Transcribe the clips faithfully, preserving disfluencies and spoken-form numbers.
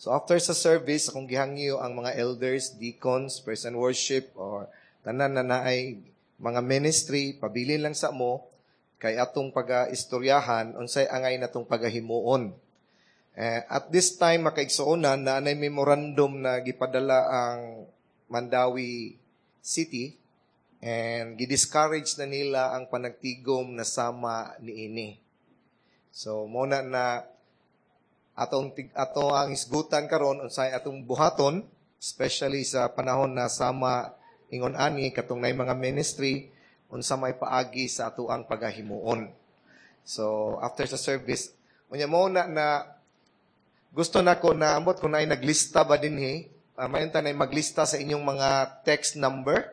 So after sa service, akong gihangyo ang mga elders, deacons, praise and worship, or tanan na naay mga ministry, pabilin lang sa mo, kay atong pag-istoryahan, unsay angay natong pagahimuon. Eh, at this time, makaigsuonan na anay memorandum na gipadala ang Mandaue City and gidiscourage na nila ang panagtigom na sama niini. So, muna na atong ato ang hisgutan karon unsay atong buhaton, especially sa panahon na sama ingon ani katong nay mga ministry, unsa may paagi sa ato ang pagahimuon. So after sa service, unya mo na na gusto nako na ambot kung naay naglista ba dinhi, uh, mayon ta na maglista sa inyong mga text number.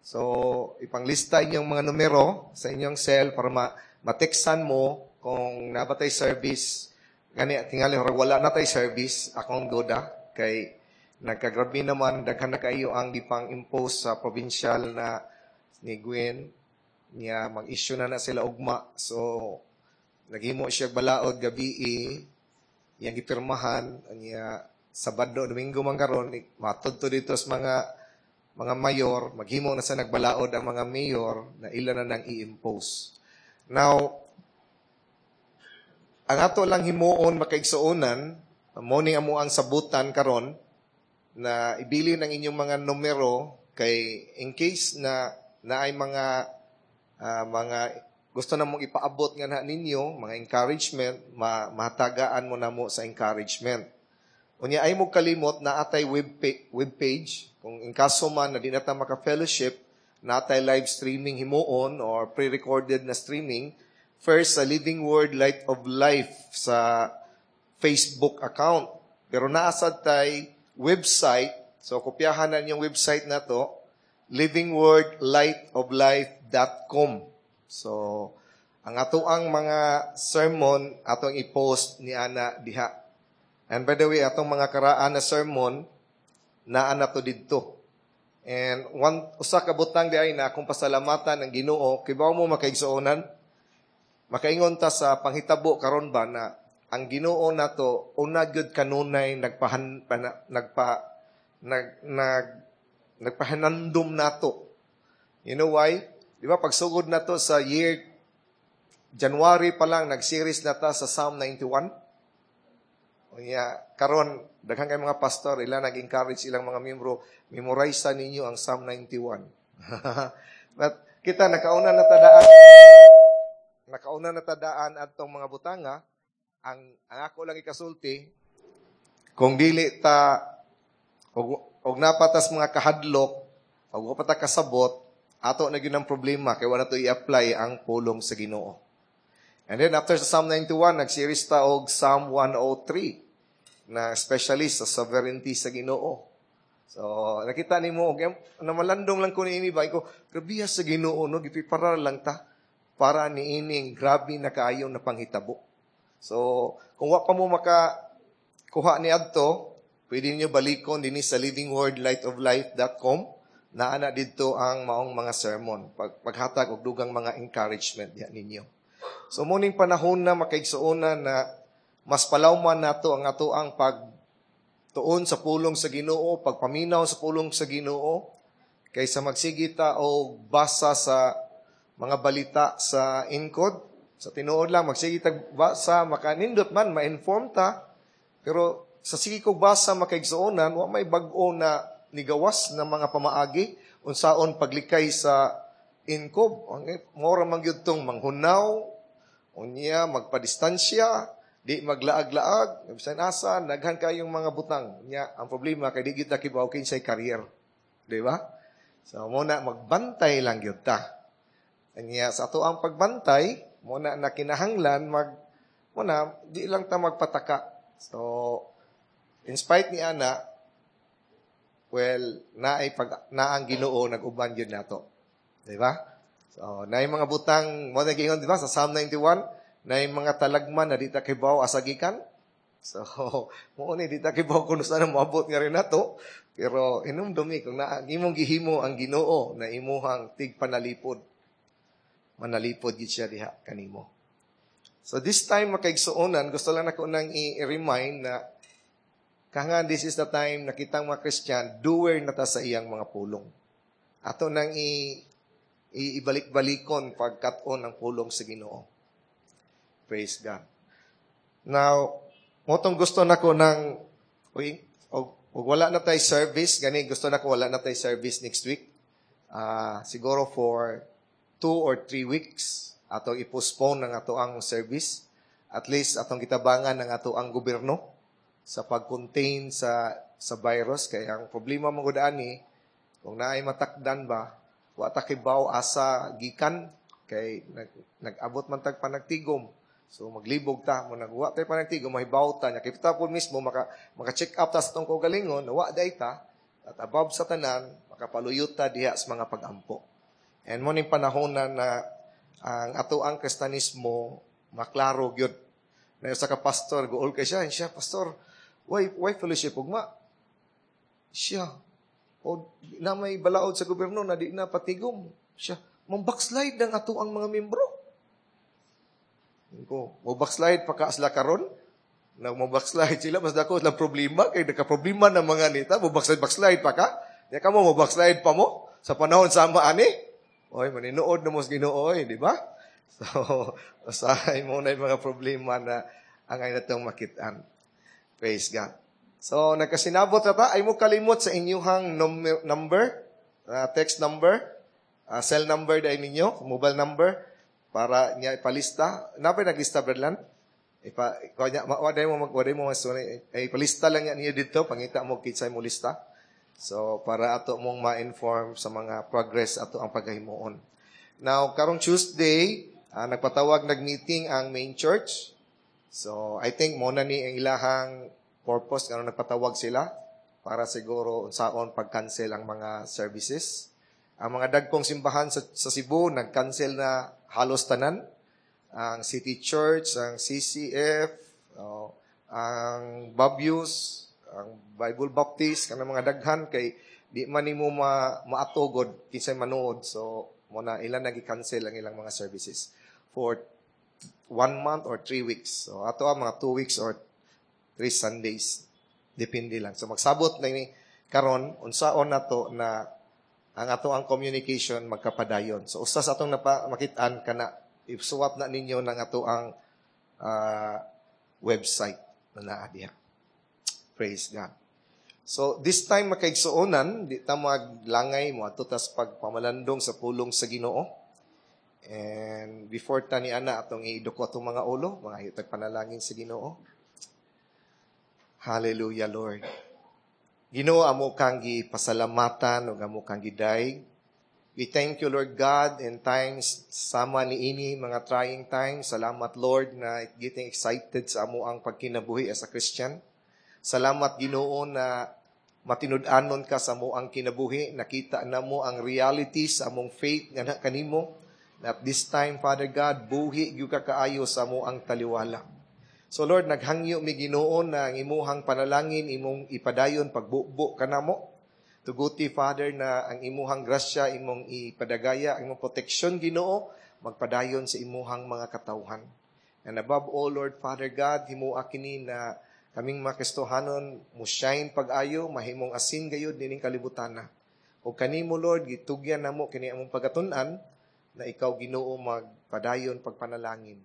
So ipanglista inyong mga numero sa inyong cell para ma mateksan mo kung naa ba tay service. Gani tingali wala na tay service, akong duda kay nagkagrabe naman, daghan na kayo ang gipang impose sa provincial na ni Gwen niya, mag-issue na na sila ugma. So naghimo siya balaod gabi, iyang gipirmahan niya Sabado, Domingo man karon, matod to dito sa mga mga mayor, maghimo na sa nagbalaod ang mga mayor na ila na nang i-impose. Now, ang ato lang himuon, makaigsuonan, mo ning amo ang sabutan karon na ibili ng inyong mga numero kay in case na naay mga uh, mga gusto na mong ipaabot nga na ninyo, mga encouragement, ma mahatagaan mo na mo sa encouragement. Unya ay mo kalimot na atay web, pa- web page, kung in kaso man na di na ta maka-fellowship, natay live streaming himuon or pre-recorded na streaming, first sa Living Word Light of Life sa Facebook account. Pero naasad tay website, so kopyahan na inyong website na to, living word light of life dot com. So, ang ato ang mga sermon, atong i-post ni ana diha. And by the way, atong mga karaan na sermon, naa na to didto. And one, usa ka butang di ay na akong pasalamatan ng Ginoo, kibaw mo, makaigsuonan, makaingon ta sa panghitabo karon ba na ang Ginoo nato una gyud kanunay nagpahan pana, nagpa nag nag nagpahanandom nato. You know why? Di ba pagsugod nato sa year January pa lang, nag-series na ta sa Psalm ninety-one. Unya karon daghan kay mga pastor, ila nag-encourage ilang mga miyembro, memorize ninyo ang Psalm ninety-one. But kita nakauna na tadaan nakauna na tadaan adtong mga butanga. Ang, ang ako lang ikasulti, kung dili ta og, og napatas mga kahadlok og wa pa ta kasabot, ato na gyud ang problema kay wala to i-apply ang pulong sa Ginoo. And then after sa Psalm ninety-one, nag-series ta og Psalm one oh three na specialist sa sovereignty sa Ginoo. So nakita nimo og namalandong lang ko niini ba ko, grabe sa Ginoo no, gipreparar lang ta para niining grabe na kaayo na panghitabo. So, kung wa pa mo maka kuha ni adto, pwede niyo balikon dinhi sa living word light of life dot com. Naa na didto ang maong mga sermon. Pag, paghatag og dugang mga encouragement diha ninyo. So, muning panahon na, makaigsuonan, na mas palawman nato ang ato ang pagtuon sa pulong sa Ginoo, pagpaminaw sa pulong sa Ginoo, kaysa magsige ta og basa sa mga balita sa inkod. Sa tinuod lang, magsige tag basa, makanindot man, ma-inform ta. Pero sa sige kog basa, makaigsuonan, wa may bag-o na nigawas na mga pamaagi, unsaon paglikay sa inkob. Ang mora man gyud tong manghunaw, unya magpadistansya, di maglaag-laag, bisan asa, daghan kayong mga butang. Unya, ang problema kay di gyud ta kibaw kinsay carrier. Di ba? So muna magbantay lang gyud ta. Unya sa ato ang pagbantay, muna na kinahanglan mag muna di lang ta magpataka. So in spite ni ana, well, naay pag naang Ginoo nag-uban gyud nato. Di ba? So naay mga butang mo na giingon, di ba, sa Psalm ninety-one, naay mga talagman na di ta kibaw asa gikan. So mo ni di ta kibaw kung saan moabot nga rin nato, pero hinumdumi kung naa imong gihimo ang Ginoo na imuhang tigpanalipod, manalipod gid siya diha kanimo. So this time, makaigsuonan, gusto lang nako nang i-remind na Kangan this is the time na kitang mga Christian, doer na ta sa iyang mga pulong. Ato nang i, ibalik-balikon pagkat-on ng pulong sa Ginoo. Praise God. Now, mao tong gusto nako ng uy, og, og wala na tay service, gani gusto nako wala na tay service next week. Uh, siguro for two or three weeks atong i-postpone ng ato ang service. At least atong gitabangan ng ato ang gobyerno sa pag-contain sa sa virus kay ang problema man gud ani kung naay matakdan ba wa ta kibaw asa gikan kay nag, nag-abot man tag panagtigom so maglibog ta mo nagwa tay panagtigom mahibaw ta nya kita po mismo maka maka-check up ta sa atong kaugalingon wa day ta at above sa tanan makapaluyot ta diha sa mga pag-ampo and mo ning panahon na, na ang ato ang Kristanismo maklaro gyud na sa ka pastor guol kay siya siya pastor why why fellowship ugma siya o na may balaod sa gobyerno na di na patigom siya mang backslide ang ato ang mga membro ko mo backslide pa ka sila karon nag mo backslide sila mas dako lang problema kay nagka problema na mga nita mo backslide backslide pa ka di ka mo mo backslide pa mo sa panahon sama ani oy maninuod na mo sa Ginoo oy di ba so usahay mo na yung mga problema na ang ay natong makitaan praise God so nagkasinabot na ta ay mo kalimot sa inyuhang number uh, text number uh, cell number dahil ninyo mobile number para niya ipalista. Napay naglista, Bradlan? Ipa, kanya, waday mo mag waday mo mas ay ipalista lang niya niyo dito pangita mo kinsay mo lista. So para ato mong ma-inform sa mga progress ato ang paghimuon. Now karong Tuesday, uh, nagpatawag nag-meeting ang main church. So I think mo na ni ang ilahang purpose ngano nagpatawag sila para siguro unsaon pag-cancel ang mga services. Ang mga dagkong simbahan sa, sa Cebu nag-cancel na halos tanan. Ang City Church, ang CCF, oh, ang Babius, ang Bible Baptist, kanang mga daghan kay di man nimo ma maatugod kinsay manuod. So mo na ilan nagi-cancel ang ilang mga services for one month or three weeks. So ato ang mga two weeks or three Sundays. Depende lang. So magsabot na ni karon unsaon nato na ang ato ang communication magkapadayon. So usa sa atong napa makit-an kana isuwat na ninyo ng ato ang uh, website na naa diha. Praise God. So this time makaigsuonan, di ta maglangay mo ato tas pagpamalandong sa pulong sa Ginoo. And before ta ni ana atong iduko atong mga ulo, mga hitag panalangin sa Ginoo. Hallelujah, Lord. Ginoo amo kang gipasalamatan ug amo kang gidayeg. We thank you, Lord God, in times sama niini mga trying times. Salamat, Lord, na getting excited sa amo ang pagkinabuhi as a Christian. Salamat, Ginoo, na matinud-anon ka sa amo ang kinabuhi. Nakita na mo ang reality sa among faith nga na kanimo. Na at this time, Father God, buhi gyud ka kaayo sa amo ang taliwala. So Lord, naghangyo mi Ginoo na ang imuhang panalangin imong ipadayon pagbubo kanamo. Tuguti Father na ang imuhang grasya imong ipadagaya, ang imong proteksyon Ginoo magpadayon sa imuhang mga katawhan. And above all, Lord Father God, himua kini na kaming mga Kristohanon mo shine pag-ayo, mahimong asin gayud nining kalibutana. O kanimo Lord, gitugyan namo kini among pagatun-an na ikaw Ginoo magpadayon pagpanalangin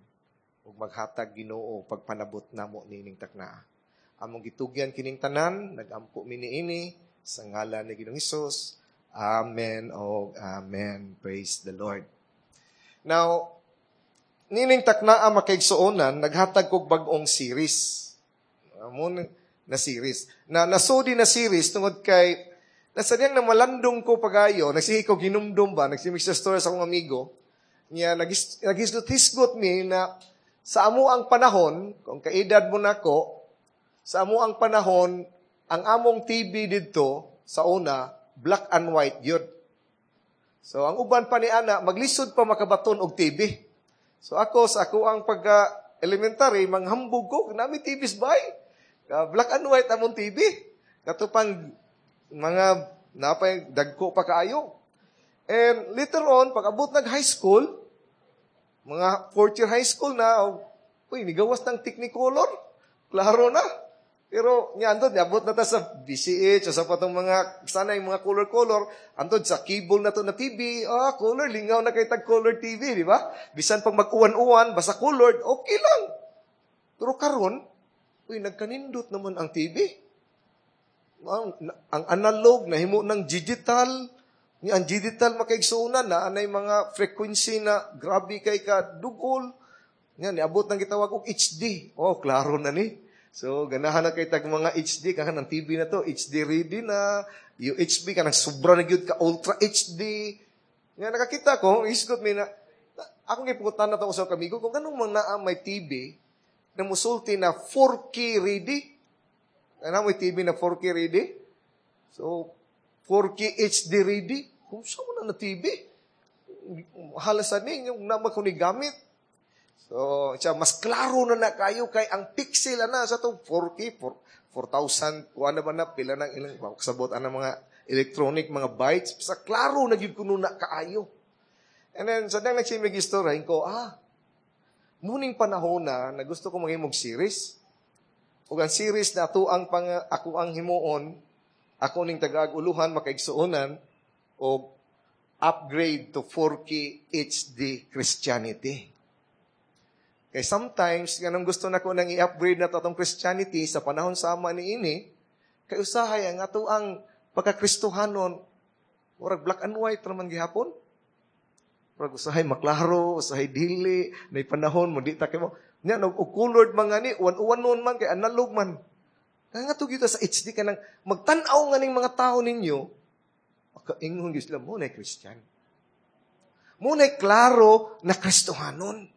ug maghatag Ginoo pagpanabot namo nining taknaa. Among gitugyan kining tanan, nagampo mi niini sa ngalan ni Ginoong Hesus. Amen o amen. Praise the Lord. Now, nining taknaa makaigsuonan, naghatag kog bag-ong series. Amo na series. Na nasudi na series tungod kay nasadyang na malandong ko pagayo, nagsige ko ginumdum ba, nagsige sa story sa akong amigo, niya nagis nagisgot-hisgot mi na sa amo ang panahon, kung kaedad mo nako, sa amo ang panahon, ang among TV didto sa una, black and white yun. So ang uban pa ni ana, maglisod pa makabaton og TV. So ako sa ako ang pagka elementary, manghambog ko, nami TV bay. Black and white among TV. Kato pang mga napay dagko pa kaayo. And later on, pag abot nag high school, mga fourth year high school na, oh, uy, nigawas ng Technicolor. Klaro na. Pero nya andod niabot na ta sa B C H o sa patong mga sana yung mga color-color, andod sa cable na to na T V, ah, color, lingaw na kay tag color T V, di ba? Bisan pag mag-uwan-uwan, basta colored, okay lang. Pero karon, uy, nagkanindot naman ang T V. Ang, ang analog nahimo ng digital, ni ang digital, makaigsuonan, na anay mga frequency na grabe kay ka dugol. Nga niabot nang gitawag og H D. Oh, klaro na ni. So, ganahan na kay tag mga H D, kanang T V na to, H D ready na, U H B, kanang sobra na gyud ka ultra H D. Nga nakakita ko, isgot mi na, akong gipangutan na to sa kamigo, kung ganong mang naa may T V, na musulti na four K ready. Ano may T V na four K ready? So, four K H D ready? Kung saan mo na na T V? Halasan ni, yung naman ko ni gamit. So, siya, mas klaro na na kayo kay ang pixel na sa to four K, four, four thousand, kuha na ba na, pila nang ilang, sabot ang mga electronic, mga bytes, sa klaro na gyud kuno na kaayo. And then, sa dang nagsimig istorya, ko, ah, muning panahon na, na gusto ko maghimog series. Ug ang series na ato ang pang, ako ang himuon, ako ning tagag-uluhan, makaigsuonan, og upgrade to four K H D Christianity. Kay sometimes, ganong gusto na ko nang i-upgrade na to atong Christianity sa panahon sama ni ini, kay usahay ang ato ang pagkakristohanon, murag black and white raman gihapon. Murag usahay maklaro, usahay dili, nay panahon mo di ta kay mo. Nya no og colored man nga ni, uwan-uwan nun man kay analog man. Kaya nga gyud sa H D kanang magtan-aw nga ning mga tao ninyo, makaingon gyud sila mo na Christian. Mo na klaro na Kristohanon.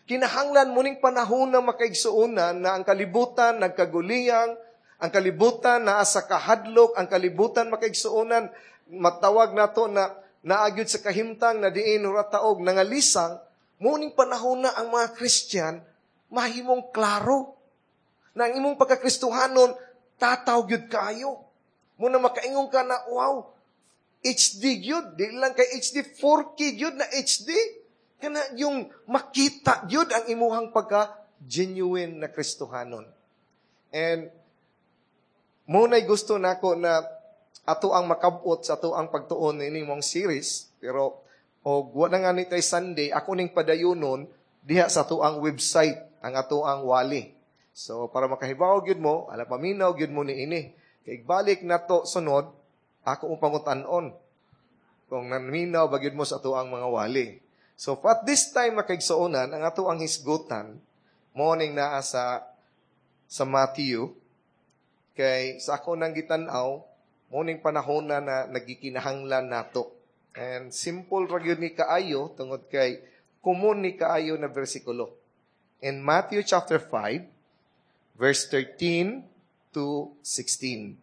Kinahanglan mo ning panahon na, makaigsuonan, na ang kalibutan nagkaguliyang, ang kalibutan naa sa kahadlok, ang kalibutan, makaigsuonan, matawag nato na naagyod sa kahimtang na diin ura taog nangalisang, muning panahon na ang mga Christian mahimong klaro na ang imong pagkakristohanon tataw gyud kaayo. Muna makaingon ka na, wow, H D gyud, di lang kay H D, four K gyud na H D. Kana yung makita gyud ang imuhang pagka genuine na Kristohanon. And muna'y gusto nako na ato ang makabot sa ato ang pagtuon ini mong series, pero og wa na nga ni tay Sunday, ako ning padayunon diha sa ato ang website ang ato ang wali. So para makahibaw gyud mo, ala paminaw gyud mo ni ini. Kay balik nato sunod, ako mo pangutan-on kung naminaw ba gyud mo sa ato ang mga wali. So at this time, makaigsuonan, ang ato ang hisgutan morning naa sa sa Matthew, kay sa ako nang gitan-aw, morning panahon na na nagikinahanglan nato. And simple ra gyud ni kaayo tungod kay common ni kaayo na bersikulo. In Matthew chapter five verse thirteen to sixteen.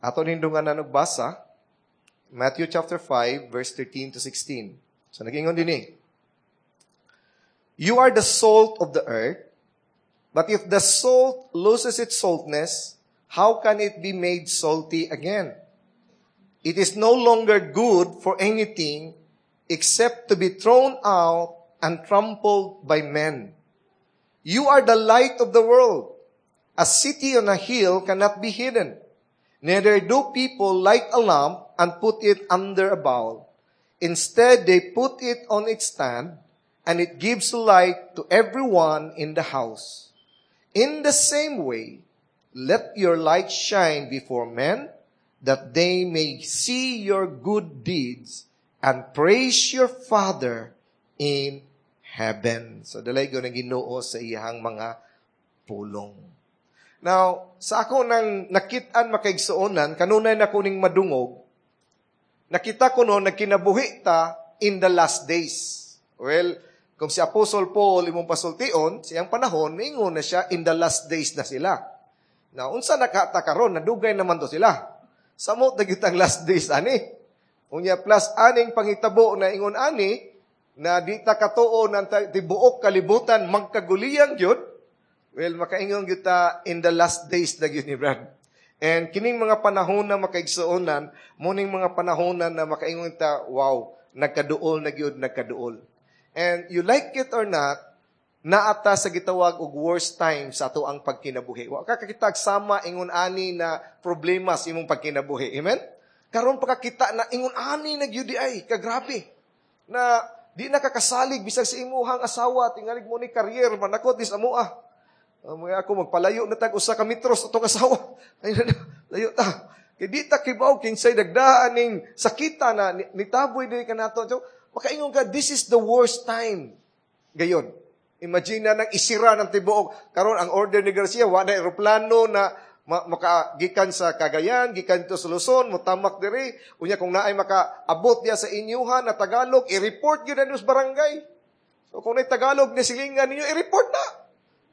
Ato nindungan og basa, Matthew chapter five verse thirteen to sixteen. So nagingon din eh. "You are the salt of the earth, but if the salt loses its saltness, how can it be made salty again? It is no longer good for anything except to be thrown out and trampled by men. You are the light of the world. A city on a hill cannot be hidden. Neither do people light a lamp and put it under a bowl. Instead, they put it on its stand, and it gives light to everyone in the house. In the same way, let your light shine before men, that they may see your good deeds and praise your Father in heaven." So, dalaygon ang Ginoo sa iyang mga pulong. Now, sa ako nang nakit-an, makaigsuonan, kanunay na kuning madungog, nakita ko no, nagkinabuhi ta in the last days. Well, kung si Apostle Paul imong pasultion, siyang panahon, ningon na siya, in the last days na sila. Now, unsa nakata karon, nadugay naman to sila. Samot na gyud ang last days ani. Unya plus aning pangitabo na ingon ani, na di ta katuo ng tibuok kalibutan magkaguliyang gyud, well, makaingon gyud ta in the last days na gyud ni Brad. And kining mga panahon na, makaigsuonan, muning mga panahon na na makaingon ta, wow, nagkaduol na gyud, nagkaduol. And you like it or not, Naa ta sa gitawag og worst time sa ato ang pagkinabuhi. Wa ka kakitag sama ingon ani na problema sa imong pagkinabuhi. Amen? Karon pa kakita na ingon ani na gyud ay kagrabe. Na di na kakasalig bisag sa imuhang asawa tingalig mo ni career manakot dis amoa. Uh, mga ako magpalayo na tag usa ka metros atong asawa. Ay na, layo ta. Kay di ta kibaw kinsay dagdaan ning sakita na nitaboy diri kanato. So, makaingon ka, this is the worst time. Gayon. Imagine na nang isira ng tibuok. Karon ang order ni Garcia, wa na eroplano na ma- makagikan sa Cagayan, gikan to sa Luzon, mutamak diri. Unya kung naay makaabot diya sa inyuhan na Tagalog, i-report gyud na sa barangay. So kung naay Tagalog ni silingan ninyo, i-report na.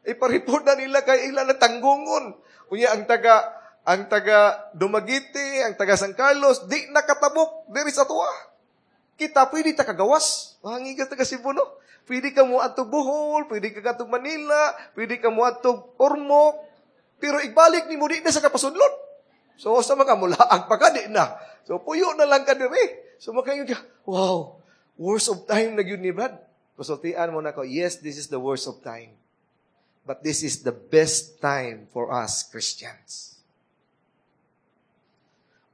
Ipa-report na nila kay ila na tanggungon. Unya ang taga ang taga Dumaguete, ang taga San Carlos, di nakatabok diri sa tuwa. Kita pwede ta kagawas. Mahangiga taga Cebu, no? Pwede ka mo adto Bohol, pwede ka kadto Manila, pwede ka mo adto Ormoc, pero ibalik nimo di na sa kapasudlon. So sa mga mulaag pa ka di na. So puyo na lang ka diri. So makaingon ka, wow, worst of time na gyud ni Brad. Kasultian mo na ko, yes, this is the worst of time. But this is the best time for us Christians.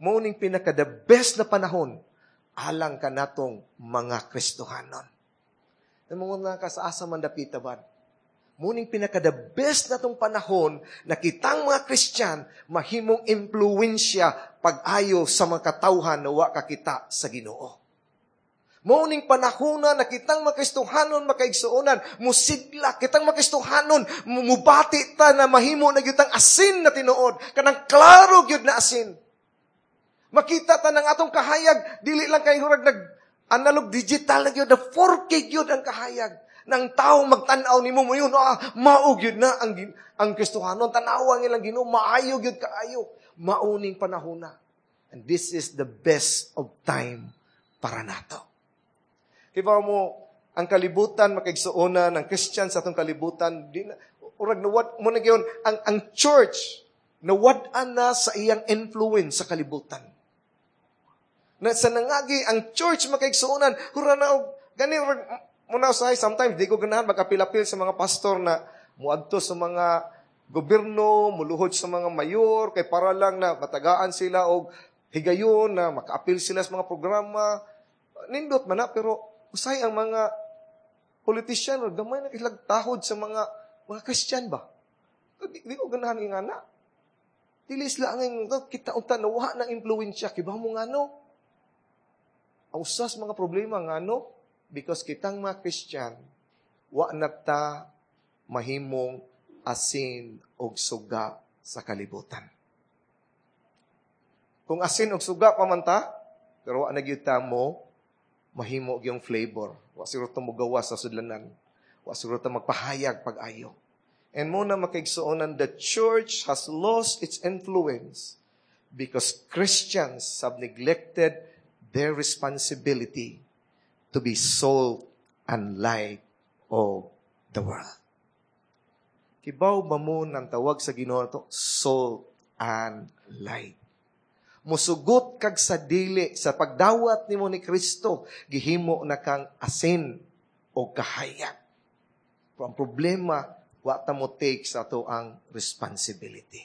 Mao ning pinaka the best na panahon alang kanatong mga Kristohanon. Ang mga kasaasa man dapita ba? Mao ning pinaka the best na tong panahon na kitang mga Christian mahimong impluwensya pag-ayo sa mga katawhan na wa kakita sa Ginoo. Mao ning panahon na kitang mga Kristohanon makaigsuonan, musigla kitang mga Kristohanon, mubati ta na mahimo na gyud asin na tinuod, kanang klaro gyud na asin. Makita ta ng atong kahayag, dili lang kay hurag nag analog digital na gyud, na four K gyud ang kahayag. Nang tao magtan-aw nimo mo yun, ah, mao gyud na ang ang Kristohanon, tanawa ang ilang Ginoo, maayo gyud kaayo. Mao ning panahon na. And this is the best of time para nato. Kibaw mo, ang kalibutan, makaigsuonan, ang Christian sa atong kalibutan, di na, urag nawad mo na gyud, ang, ang church, nawad-an na sa iyang influence sa kalibutan. Na sa nangagi, ang church makaigsuonan, hura na, og, gani, urag, muna usahay, sometimes, di ko ganahan magapil-apil sa mga pastor na muadto sa mga gobyerno, muluhod sa mga mayor, kay para lang na matagaan sila og higayon na makaapil sila sa mga programa. Nindot man na, pero usahay ang mga politician, or gamay na kilag tahod sa mga mga Christian ba? Di, di ko ganahan nga na. Dili sila ang kita unta nawa ng impluwensya. Kibaw mo nga no? Ang usas mga problema nga no? Because kitang mga Christian, wa na ta mahimong asin og suga sa kalibutan. Kung asin og suga pa man ta, pero wa na gyud ta mo mahimo gyung flavor. Wa siguro ta mogawas sa sudlanan. Wa siguro ta magpahayag pag-ayo. And mao na makaigsuonan, the church has lost its influence because Christians have neglected their responsibility to be salt and light of the world. Kibaw ba mo ng tawag sa Ginoo to? Salt and light. Musugot kag sa dili sa pagdawat nimo ni Kristo, gihimo na kang asin o kahayag. Pero ang problema, wa ta mo take sa ato ang responsibility.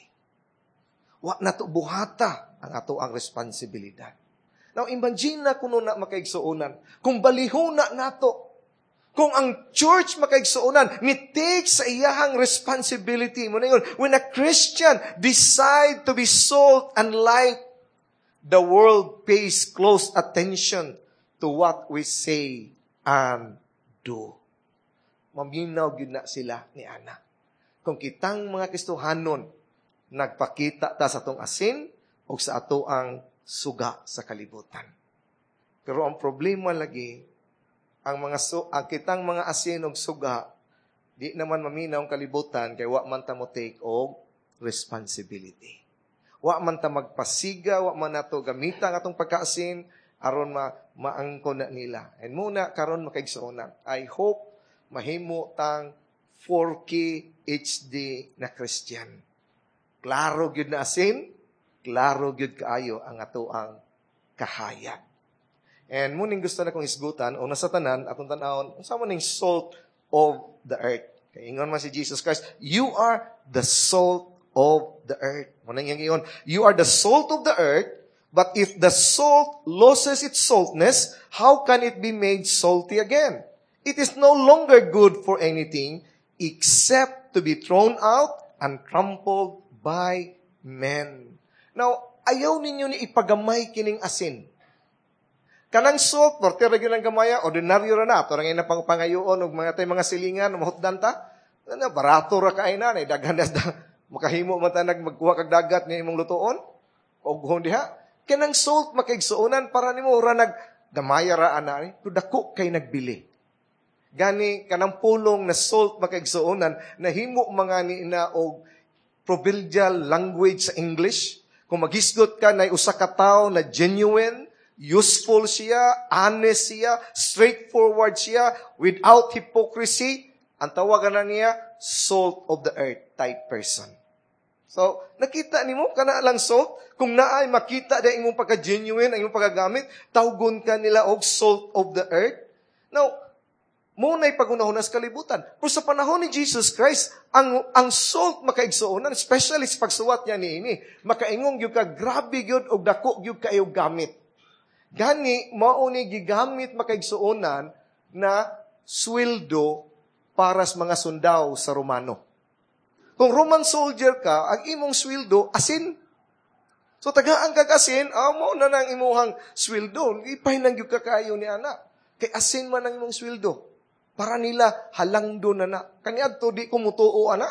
Wa na to buhata ang ato ang responsibilidad. Now, imagine na kuno na makaigsuonan. Kung balihuna nato, kung ang church makaigsuonan, ni take sa iyahang responsibility. Mao na yun, when a Christian decide to be salt and light, the world pays close attention to what we say and do. Maminaw gyud na sila ni Ana. Kung kitang mga Kristohanon, nagpakita ta sa atong asin o sa ato ang suga sa kalibutan. Pero ang problema lagi, ang mga su, ang kitang mga asin og suga, di naman maminaw ang kalibutan kay wa man ta mo take og responsibility. Wa man ta magpasiga, wa man nato gamita ang atong pagkaasin aron ma maangkon na nila. And mao na karon makaigsuonan. I hope mahimo tang four K H D na Christian. Klaro gyud na asin, klaro gyud kaayo ang ato ang kahayag. And mao ning gusto na kong isgutan, o nasa tanan, atong tanawon, unsa man ning salt of the earth. Kay ingon man si Jesus Christ, you are the salt of the earth. Mao nang iyang you are the salt of the earth, but if the salt loses its saltness, how can it be made salty again? It is no longer good for anything except to be thrown out and trampled by men. Now, ayaw ninyo ni ipagamay kining asin. Kanang salt, porte ra gyud ang gamaya, ordinaryo ra na. Ato ra ngay pang pangayoon og mga tay mga silingan, mahutdan ta. Ano, barato ra kay na, daghan na makahimo man ta nag magkuha kag dagat ni imong lutoon. Og hun diha. Kanang salt makaigsuonan para nimo ra nag gamaya ra ana ni, dako kay nagbili. Gani kanang pulong na salt makaigsuonan nahimo mga ni ina og proverbial language sa English. Kung maghisgot ka na usa ka tawo na genuine, useful siya, honest siya, straightforward siya, without hypocrisy, ang tawagan na niya, salt of the earth type person. So, nakita nimo kana lang salt, kung naay makita da imong pagka-genuine, ang imong pagkagamit, tawgon ka nila og salt of the earth. Now, mao na'y pagunahon sa kalibutan. Pero sa panahon ni Jesus Christ, ang ang salt makaigsuonan, especially sa pagsuwat niya niini, makaingong gyud ka grabe gyud og dako gyud kayo gamit. Gani mao ni gigamit makaigsuonan na sweldo para sa mga sundao sa Romano. Kung Roman soldier ka, ang imong sweldo asin. So tagaan kag asin, amo na nang imuhang sweldo. Ipahinang gyud ka kaayo ni ana. Kay asin man ang imong sweldo. Para nila halangdo na na. Kaniadto di ko mutuo ana.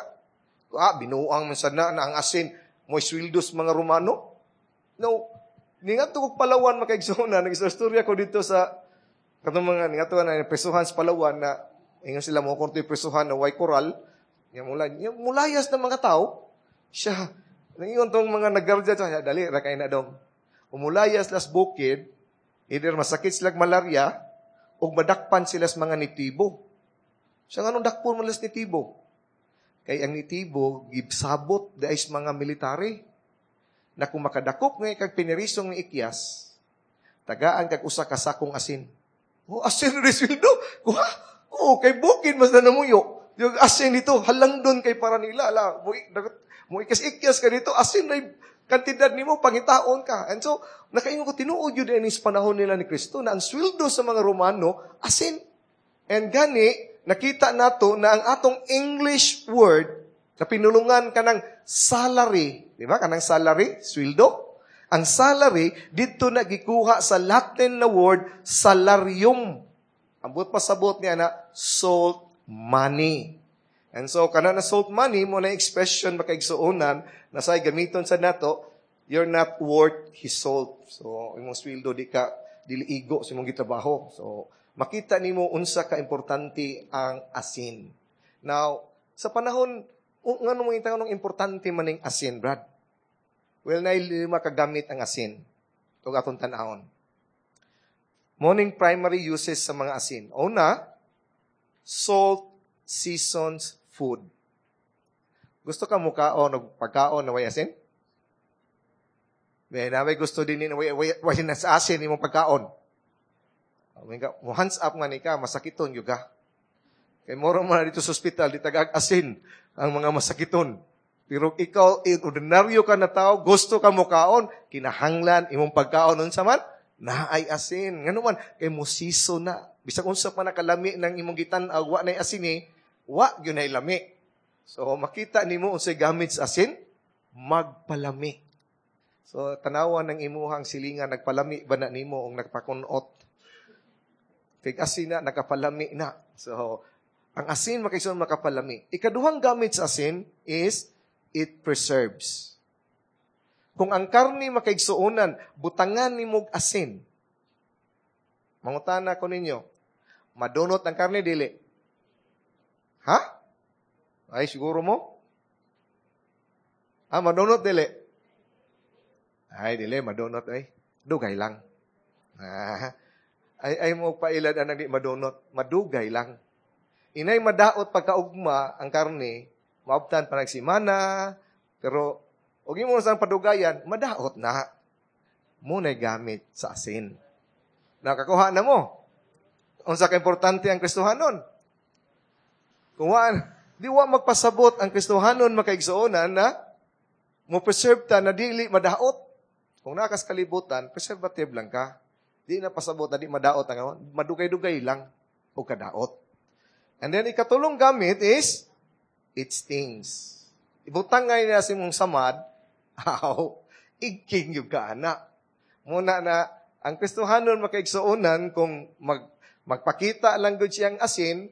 Ah, binuang man sad na, na ang asin mo sweldo sa mga Romano. No, ningadto kog Palawan makaigsoona, nag-istorya ko dito sa katong mga ningadto na presuhan sa Palawan na ingon sila mo konti presuhan na way koral. Nya mula, nya mulayas ng mga tao. Siya, nangingon tong mga nagardya siya, dali ra kay na dong. Umulayas las bukid, either masakit sila malaria, ug madakpan sila sa mga nitibo. Siya nganong dakpon man las nitibo? Kay ang nitibo gibsabot diay sa mga military na kung makadakop ngay kag pinirisong ni Ikyas, tagaan kag usa ka sakong asin. Oh, asin rin sweldo. Kuha. Oh, kay bukid mas na namuyo. Yung asin dito, halang doon kay para nila. Ala, mo, mo ikas-ikyas ka dito, asin na kantidad nimo, pangitaon ka. And so, nakaingon ko, tinuod yun din sa panahon nila ni Kristo na ang sweldo sa mga Romano, asin. And gani, nakita nato na ang atong English word, na pinulungan ka ng salary, di ba? Kanang salary, sweldo. Ang salary, dito na gikuha sa Latin na word, salarium. Ang buot pasabot niya na, salt money. And so, kana na salt money, mo na expression makaigsuonan, na say gamiton sa nato, you're not worth his salt. So, imong sweldo di ka, dili igo sa imong gitrabaho. So, makita nimo unsa ka importante ang asin. Now, sa panahon, ngano mo yung importante maning asin, Brad? Well, na lima kagamit ang asin. Ug atong tan-awon. Morning primary uses sa mga asin. Una, salt seasons food. Gusto ka mukaon og pagkaon na way asin? May namay gusto din ni way, way, way na sa asin imong pagkaon. Mo hands up nga ni ka, masakiton gyud ka. Kay moro man na dito sa ospital, di tagag asin ang mga masakiton. Pero ikaw, ordinaryo ka na tao, gusto ka mukaon, kinahanglan imong pagkaon unsa man, naay asin. Ngano man, kay musiso na. Bisag unsa pa nakalami ng imong gitan-aw, wa nay asin eh, wa gyud nay lami. So makita nimo unsay gamit sa asin, magpalami. So tanawan ng imuhang silingan, nagpalami ba na nimo og nagpakunot? Kay asin na, nakapalami na. So ang asin makaisun makapalami. Ikaduhang gamit sa asin is it preserves. Kung ang karni makaigsuonan, butangan nimo og asin. Mangutana ko ninyo, madunot ang karni dili? Ha? Ay, siguro mo? Ah, madunot dili? Ay, dili, madunot ay. Dugay lang. Ah, ay, ay mo pailad anang di madunot. Madugay lang. Inay madaot pagkaugma ang karni, maabtan pa nagsimana, pero og imo sa padugayan, madaot na. Muna'y gamit sa asin. Nakakuha na mo. Unsa ka importante ang Kristohanon? Kung waan, Di wa magpasabot ang Kristohanon, makaigsuonan, na mo preserve ta na dili madaot. Kung naa kas kalibutan, preservative lang ka. Di na pasabot na di madaot ang madugay-dugay lang o kadaot. And then ikatulong gamit is it stings. Ibutang ngay na sa imong samad, aw, igking yung ka ana. Muna na ang Kristohanon, makaigsuonan, kung mag, magpakita lang gud siyang asin,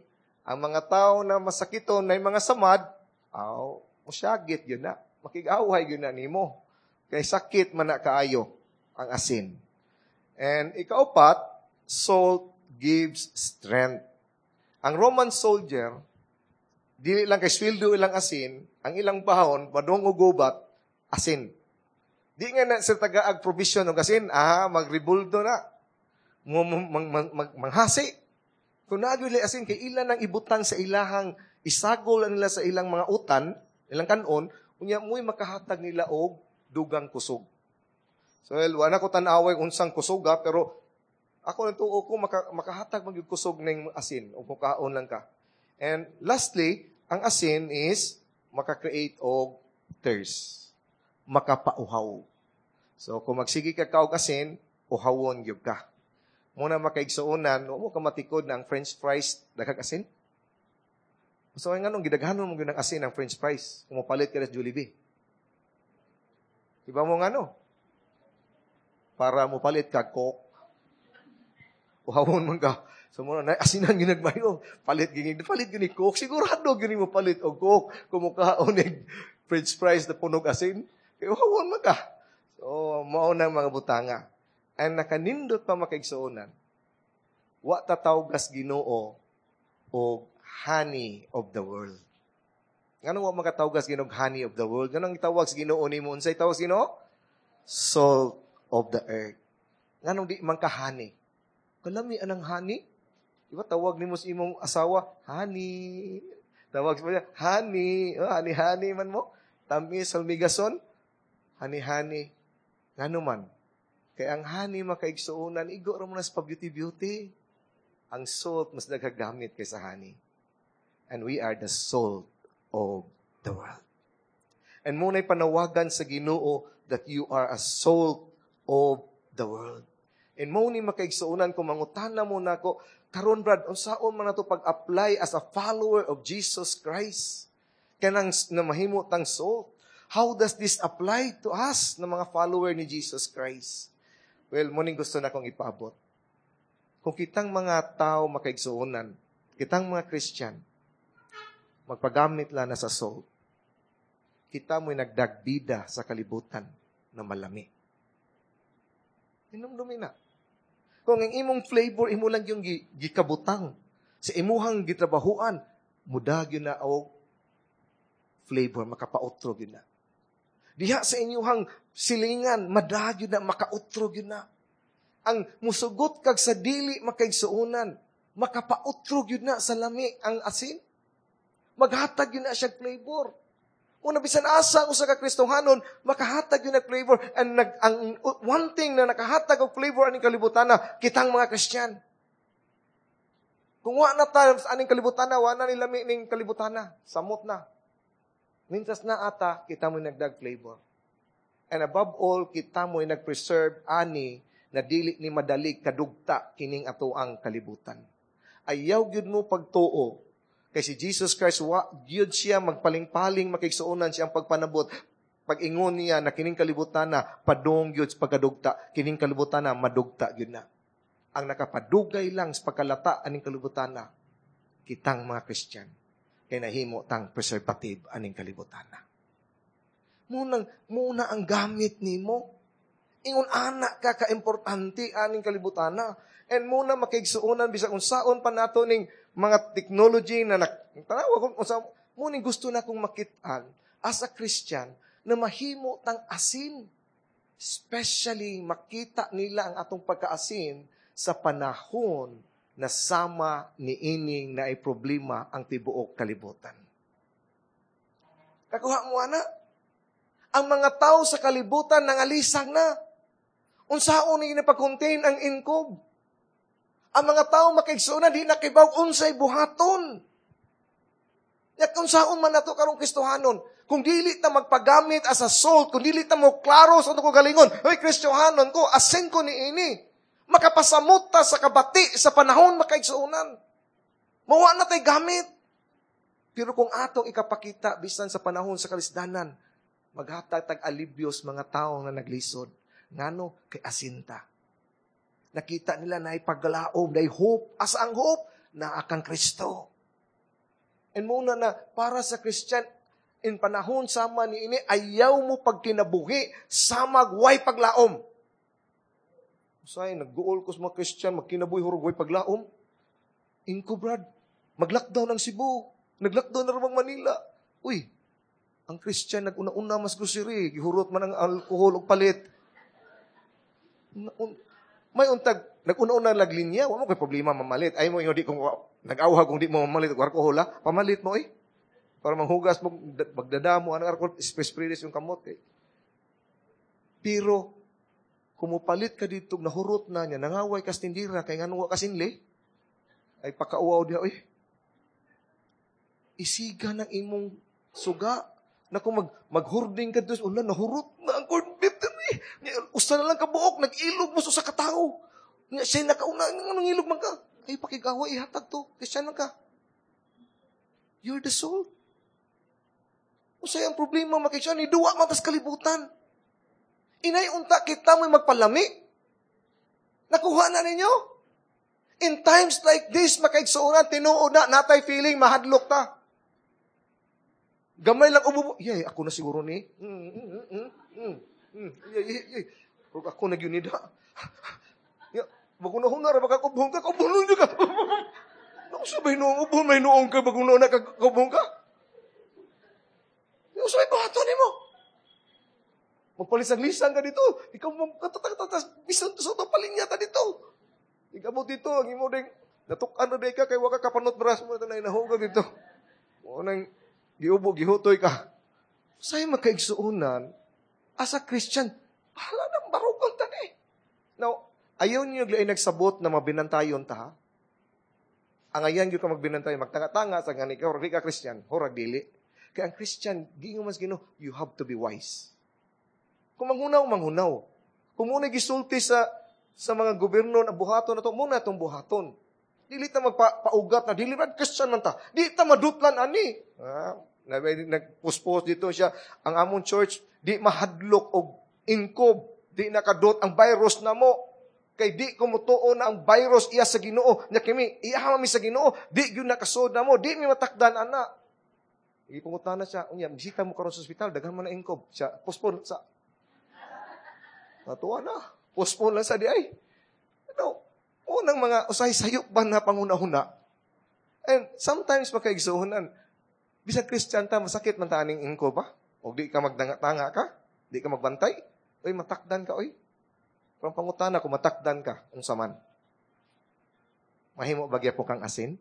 ang mga tao na masakiton na mga samad, aw, musyagit yun na. Makig-away yun na nimo. Kay sakit man na kaayo ang asin. And ikaupat, salt gives strength. Ang Roman soldier, dili lang kay sweldo ilang asin, ang ilang bahon, padung og gubat, asin. Di nga na sa tagaag provision og asin, ah, magribuldo na. Mang, mang, mang, mang, manghasi. Kung naa asin, kay ilan ang ibutang sa ilahang, isagol nila sa ilang mga utan, ilang kanon, unya mo'y makahatag nila og dugang kusog. So, well, wala ko tan-away unsang kusog, pero ako nang tuo ko maka, makahatag magyud kusog ning asin o mukaon lang ka. And lastly, ang asin is maka-create og thirst. Makapauhaw. So, kung magsige ka kaog asin, uhawon gyud ka. Muna makaigsuonan, wa mo ka matikod na ang french fries daghag asin. So, nganong gidaghanon mo gyud ang asin ang french fries kung mopalit ka sa Jollibee? Iba mo ngano? Para mopalit ka Coke. Uhawon man ka. So mo na asinan ginagmayo, palit gini, palit gini Coke. Sigurado gini mo palit og Coke kung mukaon og french fries na punog asin. Kay uhawon man ka. So mao nang mga butanga. And nakanindot pa, makaigsuonan, wa ta tawgas Ginoo og honey of the world. Ngano wa makatawgas Ginoo honey of the world? Nganong gitawag sa Ginoo nimo? Unsay tawag sa Ginoo? Salt of the earth. Nganong di man ka honey? Kalami anang honey. Di ba tawag nimo sa imong asawa, "Honey"? Tawag sa niya, "Honey." Oh, honey, honey man mo. Tamis, salmigason. Honey, honey. Ngano man? Kay ang honey, makaigsuonan, igo ra mo na sa pa-beauty-beauty. Ang salt, mas nagagamit kaysa honey. And we are the salt of the world. And muna'y panawagan sa Ginoo that you are a salt of the world. And mo ni makaigsuonan, kung mangutana mo nako, "Karon Brad, unsaon man nato pag-apply as a follower of Jesus Christ? Kanang na mahimo tang salt. How does this apply to us na mga follower ni Jesus Christ?" Well, mo ning gusto na kong ipaabot. Kung kitang mga tao, makaigsuonan, kitang mga Christian, magpagamit lang na sa salt, kita mo'y nagdagbida sa kalibutan na malami. Hinumdumi na. Kung ang imong flavor, imo lang yung gikabutang sa imuhang gitrabahuan, mudag yun na og flavor, makapautro yun na. Diha sa inyuhang silingan, madag yun na, makautro yun na. Ang musugot kag sa dili, makaigsuonan, makapautro yun na sa lami ang asin. Maghatag yun na siya flavor. Una, bisan asa ang usa ka Kristohanon, makahatag yun na flavor. And nag, ang one thing na nakahatag og flavor aning kalibutan na, kitang mga Kristiyan. Kung wa na tayo sa aning kalibutan na, wa na ni lami ning kalibutan na, samot na. Mintras na ata, kita mo nagdag flavor. And above all, kita mo nag-preserve ani na dili ni madali kadugta kining atoang kalibutan. Ayaw gyud mo pagtuo kay si Jesus Christ wa gyud siya magpaling-paling, makigsuonan, siyang pagpanabot. Pag-ingon niya na kining kalibutan na padung gyud sa pagkadugta, kining kalibutan na madugta gyud na. Ang nakapadugay lang sa pagkalata aning kalibutan na, kitang mga Christian, kay nahimo tang preservative aning kalibutan na. Munang, muna ang gamit nimo. Ingon ana ka kaimportante aning kalibutan na. And muna makigsuonan, bisag unsaon pa nato ning mga technology na nak tanawa kung unsa muning gusto na kong makit-an as a Christian na mahimo tang asin. Especially makita nila ang atong pagkaasin sa panahon na sama ni ining na ay problema ang tibuok kalibutan. Kakuha mo ana? Ang mga tao sa kalibutan nangalisang na. Unsaon ni pag-contain ang inkob? Ang mga tao, makaigsuonan, di nakibaw unsay buhaton. Ya kung saon man nato karong Kristohanon, kung dili ta magpagamit as a salt, kung dili ta mo klaro sa atong kaugalingon, "Hoy, Kristohanon ko, asin ko niini." Makapasamot ta sa kabati sa panahon, makaigsuonan. Mawa na tay gamit. Pero kung atong ikapakita bisan sa panahon sa kalisdanan, maghatag tag alibyo sa mga tao nga naglisod. Ngano? Kay asinta. Nakita nila na paglaom, na hope. Asa ang hope? Naa kang Kristo. And muna na, para sa Christian, in panahon sama ni ini, ayaw mo pagkinabuhi, samag way paglaom. Usay, nagguol ko sa mga Christian, magkinabuhi hurog way paglaom. Inko, brad, mag-lockdown ang Cebu. Nag-lockdown na rin Manila. Uy, ang Christian nag-una-una mas grocery, gihurot man ang alcohol og palit. May untag, nag-una-una laglinya, wa mo kay problema mamalit. Ay mo ingon di kung nag-awhag kung di mo mamalit og alcohol ha, pamalit mo eh. Para manghugas mo, magdada mo, ang alcohol, spray-spray yung kamot eh. Pero, kung mupalit ka dito, nahurot na niya, nangaway kas tindira, kay ngano wa kasinli, ay pakauaw diha, oy. Isiga ng imong suga, na kung mag, maghurding ka doon, wala, nahurot na ang corned beef diri. Usa na lang kabuok, nag-ilog mo sa katao. Nga siya nakauna, anong ilog man ka? Ay, pakigawa, ihatag to. Christian lang ka. You're the salt. Usay ang problema, makikita, ni duwa man tas kalibutan. Inay unta kita mo'y magpalami. Nakuha na ninyo? In times like this, makaigsuonan, tinuod na, natay feeling, mahadlok ta. Gamay lang ubo. Yay, ako na siguro ni. Mm, mm, mm, mm, mm, mm. Yay, yay, yay. Ako na gyud da. Ya, bago na huna ra baka kubhong ka, kubhong ka. Naku sabay noong ubhong, may noong ka, bago na ka, kubhong ka. Yung sabay buhaton nimo. Magpalisang-lisang ka dito. Ikaw katatag-tatas, bisan to sa palinya ta dito. Ikaw mo dito, ang imo ding, natukan na ka, kay waka kapanot bras mo na inahuga dito. O nang, giubo, gihutoy ka. Say makaigsuonan, as a Christian, bahala nang barugon ta ni. Now, ayaw niyo lain nagsabot na mabinantayon ta, ha? Ang ayan gyud ka magbinantay, magtanga-tanga sa gani ka, di ka Christian, hurag dili. Kaya ang Christian, giingon mas Ginoo, you have to be wise. Kung manghunaw, manghunaw. Kung muna gisulti sa sa mga gobyerno na buhaton na to, muna itong buhaton. Dili ta magpaugat na, dili man Christian man ta. Di ta madutlan ani. Ah, nagpuspos dito siya, ang among church, di mahadlok og inkob, di nakadot ang virus na mo. Kay di ko mutuo na ang virus iya sa Ginoo. Nya kami, iya mi sa Ginoo, di gyud nakasod na mo, di mi matakdan ana. Ipangutana siya, unya, bisita mo karon sa ospital, daghan man na inkob. Siya, postpone sa Natuwa na. Postpone lang sa di ay. Ano, unang mga usay sayop ba na panguna-huna? And sometimes makaigsuhonan, bisag Christian ta, masakit man ta aning inkob ba? O di ka magdanga-tanga ka? Di ka magbantay? Oy, matakdan ka, oy. Pero pangutana, kung matakdan ka, unsa man? Mahimo ba gyapon kang asin?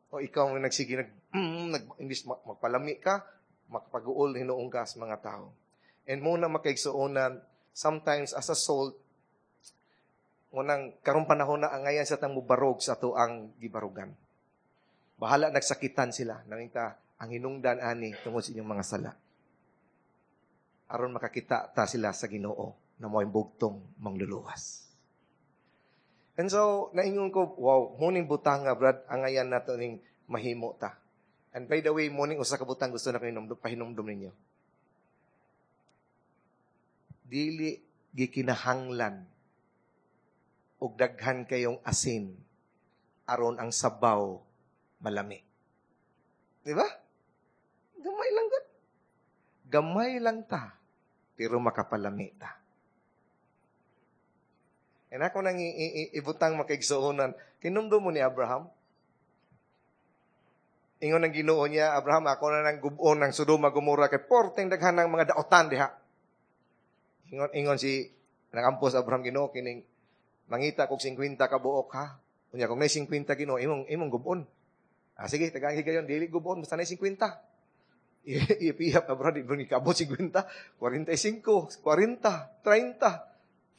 O ikaw ang nagsige, nag, mm, nag, imbis magpalami ka, makapag-uol hinuong ka sa mga tao. And muna makaigsuonan, sometimes as a salt, unang karong panahon na angayan sa tang mubarog sa ato ang gibarugan. Bahala nagsakitan sila, nangita ang hinungdan ani tungod sa inyong mga sala. Aron makakita ta sila sa Ginoo na mo'y bugtong mangluluwas. And so, naingon ko, wow, muning butang nga, brad, angayan nato ning mahimo ta. And by the way, muning usa ka butang gusto na ko pahinumdum ninyo. Dili gikinahanglan og daghan kayong asin aron ang sabaw malami. Di ba? Gamay lang gud. Gamay lang ta, pero makapalami ta. And ako nang ibutang makaigsuonan, kinumdum mo ni Abraham? Ingon ang Ginoo niya, "Abraham, ako na nang gub-on ng Sodoma Gomora kay porteng daghan ng mga daotan diha." Ingon ingon si nagampos Abraham, "Ginoo, kining mangita kog singkwenta ka buok ha." Unya kung may singkwenta, Ginoo, imong imong gub-on. "Ah, sige, tagaan higayon, dili gub-on basta nay singkwenta. Ipihap Abraham, di ba ni kaabot singkwenta? kwarenta y singko, kwarenta, treinta.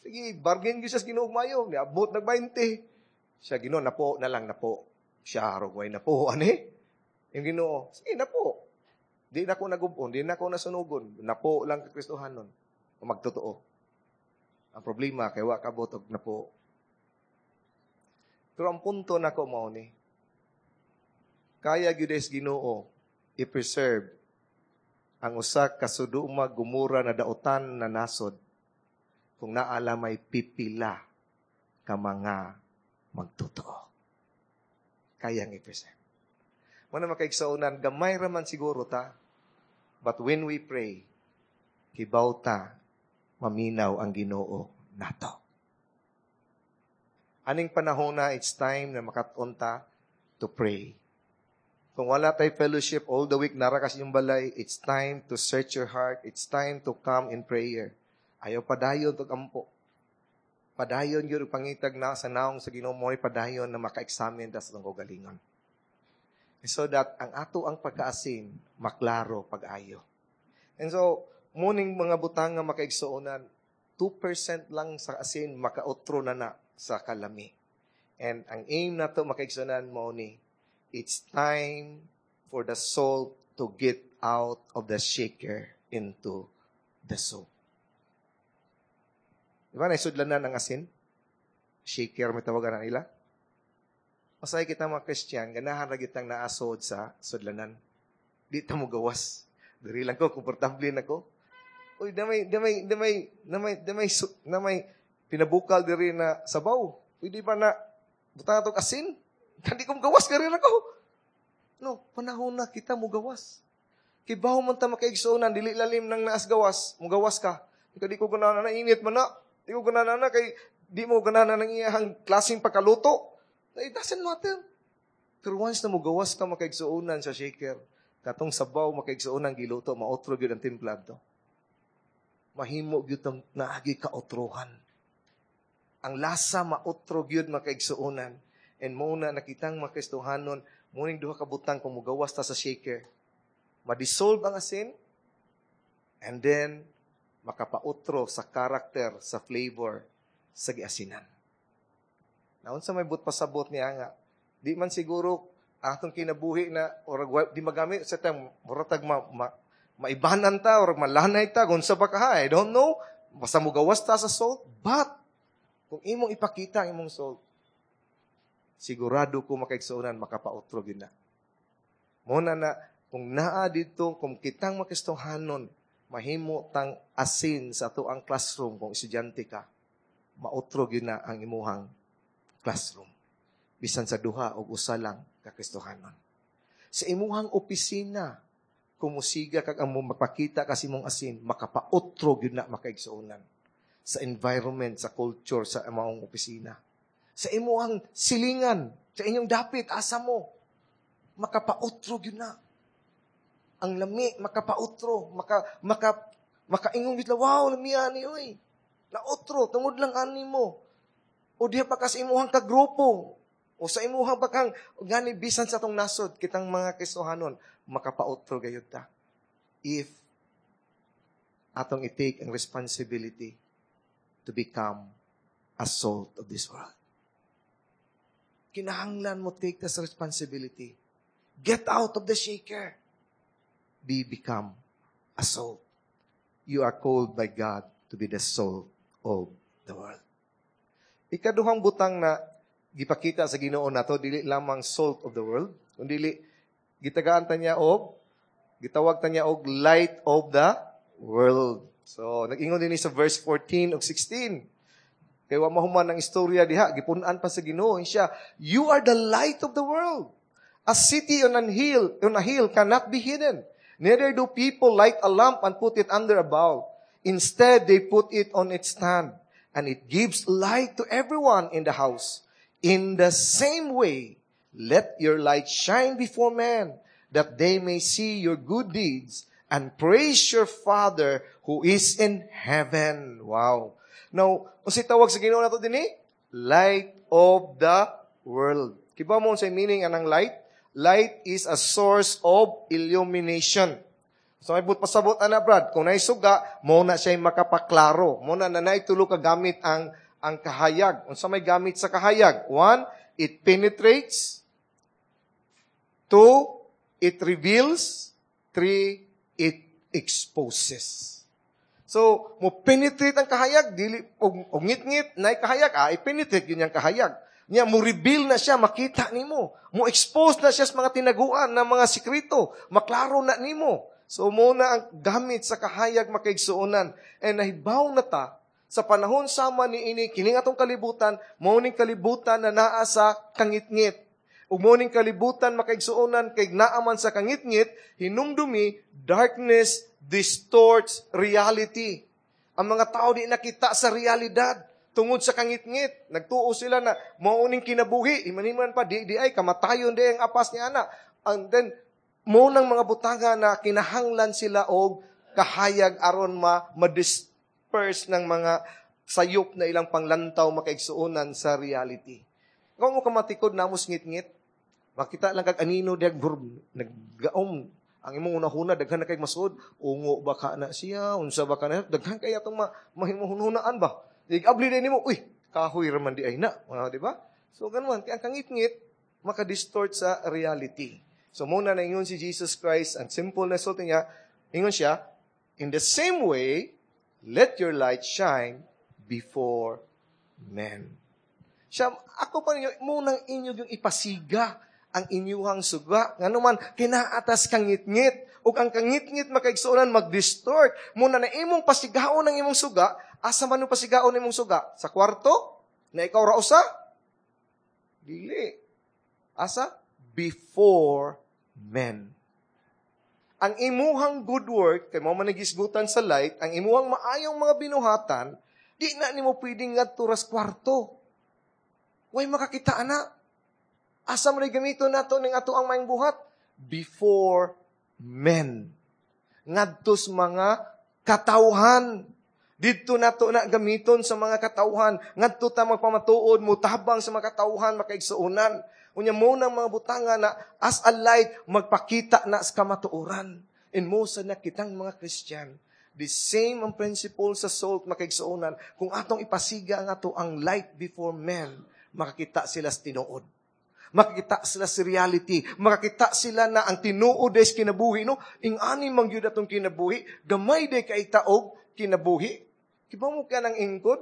Sige, bargain gyud siya sa Ginoo mayo, niabot nag baynte. Siya, "Ginoo, napo na lang, napo." Siya way napo ani. Yung Ginoo, sige napo. Di na ko nagubon, di na ko nasunugon. Napo lang ka Kristohanon. Magtotoo. Ang problema kay wa kabot og napo. Pero ang punto nako mao ni kaya gyud sa Ginoo i-preserve ang usa ka Sodoma Gomora na dautan na nasod kung naa lamay pipila ka mga magtotoo. Kayang i-preserve. Muna makaigsuonan, gamay raman siguro ta. But when we pray, kibaw ta, maminaw ang Ginoo nato. Aning panahon na, it's time na makaton ta to pray. Kung wala tay fellowship all the week, nara kas yung balay, it's time to search your heart. It's time to come in prayer. Ayaw padayon to ampo. Padayon yun pangitag na sa naong sa Ginoo mo padayon na maka-examine ta sa atong kaugalingon. So that ang ato ang pagkaasin maklaro pag-ayo. And so, muning mga butang nga makaigsuonan, two percent lang sa asin makautro na na sa kalami. And ang aim nato makaigsuonan mo ni, it's time for the salt to get out of the shaker into the soup. Di ba, naisudlanan ang asin? Shaker, may tawagan na nila. Masay kita mga Christian, ganahan ra kitang naasod sa sudlanan. Di ta mo gawas. Diri lang ko, komportable na ko. Uy, damay, damay, damay, damay, damay, damay, pinabukal diri na sabaw. Pwede ba na, butang atong asin? Hindi ko gawas, gari na ko. No, panahon na kita mo gawas. Kibaw man ta makaigsuonan, dili lalim nang naas gawas, mo gawas ka. Ikaw di ko ganahan na init man na. Di ko ganahan na kay di mo ganahan ng iyang klaseng pagkaluto. It doesn't matter. Pero once na mo gawas ka makaigsuonan sa shaker, katong sabaw makaigsuonan giluto, maotro gyud ang timpla to. Mahimo gyud tong naagi ka otrohan. Ang lasa maotro gyud makaigsuonan. And mo na nakitang mga Kristohanon, muning duha ka butang kung mugawas ta sa shaker. Ma-dissolve ang asin, and then makapautro sa karakter, sa flavor, sa giasinan. Naunsa may but pasabot niya nga, di man siguro atong kinabuhi na or di magamit sa time muratag ma, ma, maibanan ta or malanay ta kung sa ba ka, I don't know, basta mugawas ta sa salt. But kung imong ipakita ang imong salt, sigurado ko makaigsuonan makapautro gyud na mo na na kung naa dito kung kitang makristohanon mahimo tang asin sa ato ang classroom. Kung estudyante ka, mautro gyud na ang imuhang classroom bisan sa duha o usa lang ka Kristohanon. Sa imuhang opisina, kung musiga kag ang mapakita kasi imong asin, makapautro gyud na makaigsuonan sa environment, sa culture, sa imong opisina. Sa imuhang silingan, sa inyong dapit, asa mo, makapautro gyud na. Ang lami, makapautro, maka, maka, makaingon gyud, "Wow, lami ani oy." Nautro, tungod lang ani mo. O diha pa ka sa imuhang kagrupo, o sa imuhang bakang, gani bisan sa atong nasod, kitang mga Kristohanon, makapautro gayud ta. If atong i-take ang responsibility to become a salt of this world. Kinahanglan mo take this responsibility. Get out of the shaker. Be become a salt. You are called by God to be the salt of the world. Ikaduhang butang na gipakita sa Ginoo nato, dili lamang salt of the world, kundi gitagaan ta niya og gitawag ta niya og light of the world. So, nag-ingon din sa verse fourteen ug sixteen. Kay wa mahuman ang istorya diha, gipun-an pa sa Ginoo siya, "You are the light of the world. A city on a hill, on a hill cannot be hidden. Neither do people light a lamp and put it under a bowl. Instead, they put it on its stand, and it gives light to everyone in the house. In the same way, let your light shine before men, that they may see your good deeds and praise your Father who is in heaven." Wow. Now, unsay tawag sa Ginoo nato dinhi? Light of the world. Kibaw mo unsay meaning anang light? Light is a source of illumination. So may but pasabot ana Brad, kung naisuga, mo na siya makapaklaro. Mo na na tulo ka gamit ang ang kahayag. Unsa may gamit sa kahayag? One, it penetrates. Two, it reveals. Three, it exposes. So, mo penetrate ang kahayag, dili og, og ngit-ngit na kahayag, ah, i-penetrate yun yung kahayag. Nya mo reveal na siya, makita nimo. Mo expose na siya sa mga tinaguan na mga sikreto, maklaro na nimo. So mo na ang gamit sa kahayag makaigsuonan. And nahibaw na ta sa panahon sama ni ini kining atong kalibutan, mao ning kalibutan na naa sa kangitngit. Ug mao ning kalibutan makaigsuonan kay naa man sa kangitngit, hinumdumi darkness distorts reality. Ang mga tao di nakita sa realidad tungod sa kangitngit. Nagtuo sila na mao ning kinabuhi, imaniman pa di di ay kamatayon di ang apas ni ana. And then mo nang mga butanga na kinahanglan sila og kahayag aron ma ma-disperse ng mga sayop na ilang panglantaw makaigsuonan sa reality. Kung mo kamatikod namos ngit-ngit, makita lang kag anino diag naggaom ang imong unahuna daghan na kay masud ungo ba ka na siya unsa ba ka na daghan kay atong ma, mahimuhunaan ba Igabli din nimo uy kahoy ra man di ay na mga di ba so ganun kay ang kangitngit maka-distort sa reality so muna na ingon si Jesus Christ ang simple na sulti niya ingon siya in the same way let your light shine before men siya ako pa ninyo munang inyo yung ipasiga ang inyuhang suga. Ngano man, kinaatas kangitngit. Ug ang kangitngit makaigsuonan mag-distort. Muna na imong pasigaon ang imong suga, asa man yung pasigaon imong suga? Sa kwarto? Na ikaw ra usa? Dili. Asa? Before men. Ang imuhang good work, kay mo man nagisgutan sa light, ang imuhang maayong mga binuhatan, di na nimo pwedeng ngadto ras kwarto. Way makakita na. Asa mo gamiton nato ning ato ang maayong buhat? Before men. Ngadto sa mga katawhan. Didto nato na gamiton sa mga katawhan. Ngadto ta magpamatuod, mutabang sa mga katawhan, makaigsuonan. Unya mo nang mga butanga na as a light, magpakita na sa kamatuoran. And mo sa na kitang mga Christian, the same ang principle sa salt makaigsuonan. Kung atong ipasiga ang ato ang light before men, makakita sila sa tinuod. Makakita sila sa reality. Makakita sila na ang tinuod ay kinabuhi. No? Ing-ani man gyud atong kinabuhi, gamay day kay taog kinabuhi. Kibaw mo ka ng ingkod?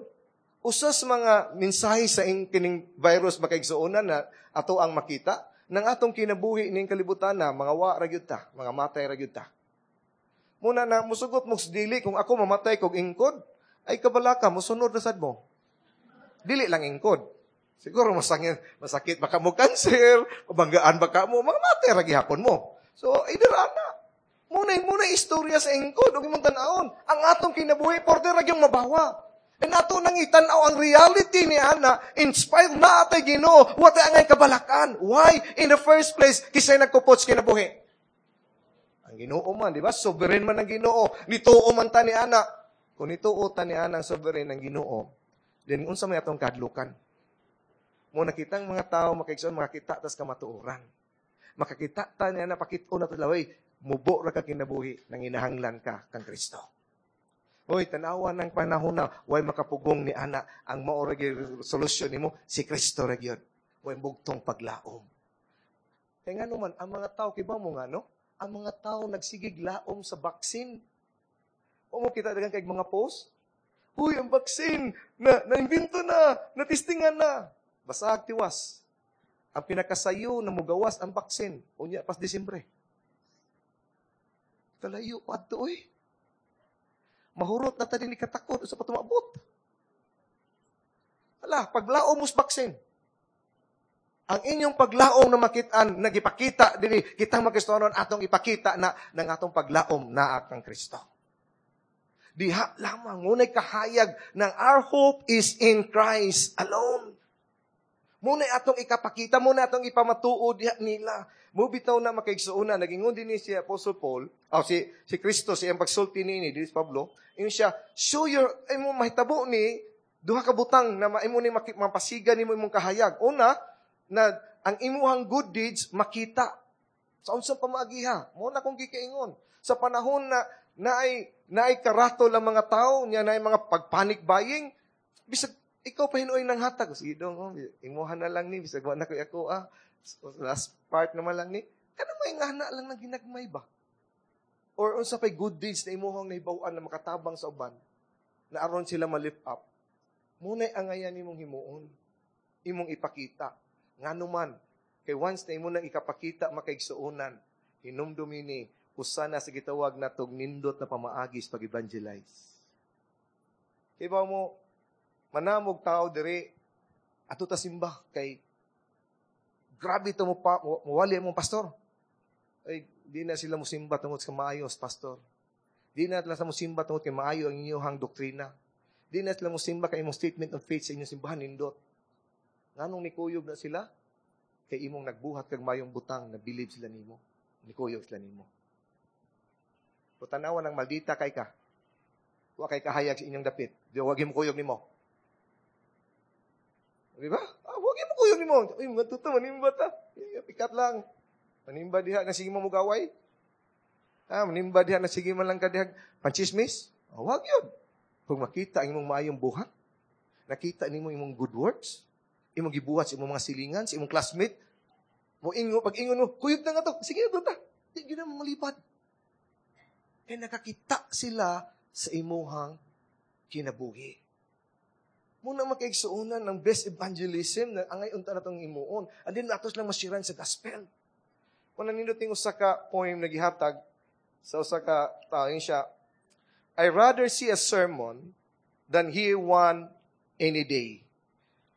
Usa sa mga mensahe sa ing kining virus makaigsuonan na ato ang makita, nang atong kinabuhi ning kalibutan na mga wa ra gyud ta, mga matay ra gyud ta. Muna na musugot mo sa dili kung ako mamatay kog ingkod, ay kabalaka mosunod ra sad mo. Dili lang ingkod. Siguro masakit, masakit baka mo cancer, mabanggaan baka mo, mga matay ra gihapon mo. So, either ana. Muna muna istorya sa ingkod ug imong tan-awon. Ang atong kinabuhi porte ra gyud mabawa. And ato nang itan-aw ang reality ni ana, inspired na atay Ginoo, wa tay angay kabalakan. Why? In the first place, kisay nagkupot sa kinabuhi. Ang Ginoo man, di ba? Sovereign man ang Ginoo. Nituo man ta ni ana. Kung nituo ta ni ana ang sovereign ang Ginoo, then unsa may atong kadlukan? Mo nakitang mga tao makaigsoon makakita tas kamatuoran. Makakita ta niya na pakit-o na to laway, mubo ra ka kinabuhi nang inahanglan ka kang Kristo. Hoy, tanawa ng panahon na way makapugong ni ana ang mao ra gyud solusyon nimo si Kristo ra gyud. Way bugtong paglaom. Kay ngano man ang mga tao kibaw mo nga no? Ang mga tao nagsigig laom sa vaccine. O mo kita dagan kay mga post. Uy, ang vaccine na naimbento na, natistingan na. Basag tiwas. Ang pinakasayo na mugawas ang vaccine, unya pas Disyembre. Kalayo pa adto oy. Mahurot na ta din katakot sa patumabot. Ala, paglaom mo sa vaccine. Ang inyong paglaom na makitaan, nagipakita dinhi kitang mga Kristohanon atong ipakita na ng atong paglaom naa kang Kristo. Diha lamang ngunay kahayag ng our hope is in Christ alone. Muna atong ikapakita, muna atong ipamatuod diha nila. Mo bitaw na makaigsuona, nagingon din ni si Apostle Paul, oh, si, si Kristo, si iyang pagsulti niini, dinis Pablo, ingon siya, show your, ay mo mahitabo ni, duha ka butang na maimo ni mapasiga nimo imong kahayag. Una, na ang imuhang good deeds makita. Sa unsang pamagiha, mo na kong gikaingon. Sa panahon na naay naay karatol ang mga tao, niya naay mga pagpanic buying, bisag ikaw pa hinuoy ng hatag. Sige dong, oh, imuha na lang ni, bisag wa na koy ako ah. So, last part naman lang ni. Kanang may ngana lang ng ginagmay ba? Or unsa pay good deeds na imuhang nahibaw-an na makatabang sa uban, na aron sila ma-lift up. Mao na'y angayan nimong himuon. Imong ipakita. Ngano man, kay once na imo nang ikapakita makaigsuonan, hinumdumi ni, usa na sa gitawag na tog nindot na pamaagi sa pag-evangelize. Kay ba mo, manamog tao diri, ato ta simba, kay grabe to mo pa, muwali mo pastor. Ay, di na sila musimba tungod sa maayos, pastor. Di na sila musimba tungod kay maayo ang inyong doktrina. Di na sila musimba kay imong statement of faith sa inyong simbahan nindot. Nganong nikuyog na sila? Kay imong nagbuhat kag mayong butang na believe sila nimo. Nikuyog sila nimo. Kung tanawa ng maldita kay ka, wa kay kahayag sa inyong dapit. Di wag mo kuyog nimo. Di ba? Ah, wag mo kuyog nimo. Uy, matuto manimba ta. Pikat lang. Manimba diha na sige mo mugaway. Ah, manimba diha na sige man lang ka diha panchismis. Oh, wag yun. Kung makita ang imong maayong buhat, nakita nimo imong good works, imong gibuhat sa imong mga silingan, sa imong classmate, mo ingo pag ingon mo, kuyog na nga to. Sige na ta. Di gyud na malipad. Kaya nakakita sila sa imuhang kinabuhi. Mao na makaigsuonan ng best evangelism na angay unta na tong imuon. And then atos lang masiran sa gospel. Kung nanindot ning usa ka poem na gihatag sa usa ka tao siya, I rather see a sermon than hear one any day.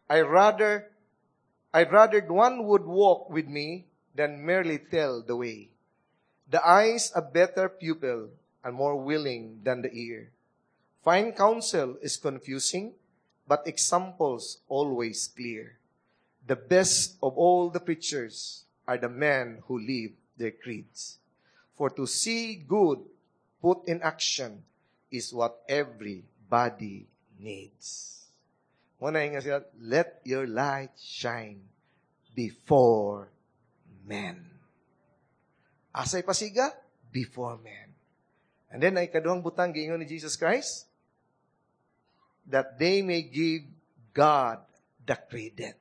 I rather I'd rather one would walk with me than merely tell the way. The eye's a better pupil and more willing than the ear. Fine counsel is confusing, but examples always clear. The best of all the preachers are the men who live their creeds. For to see good put in action is what everybody needs. Muna nga sila, let your light shine before men. Asay pasiga? Before men. And then, ay kaduhang butang giingon ni Jesus Christ, that they may give God the credit.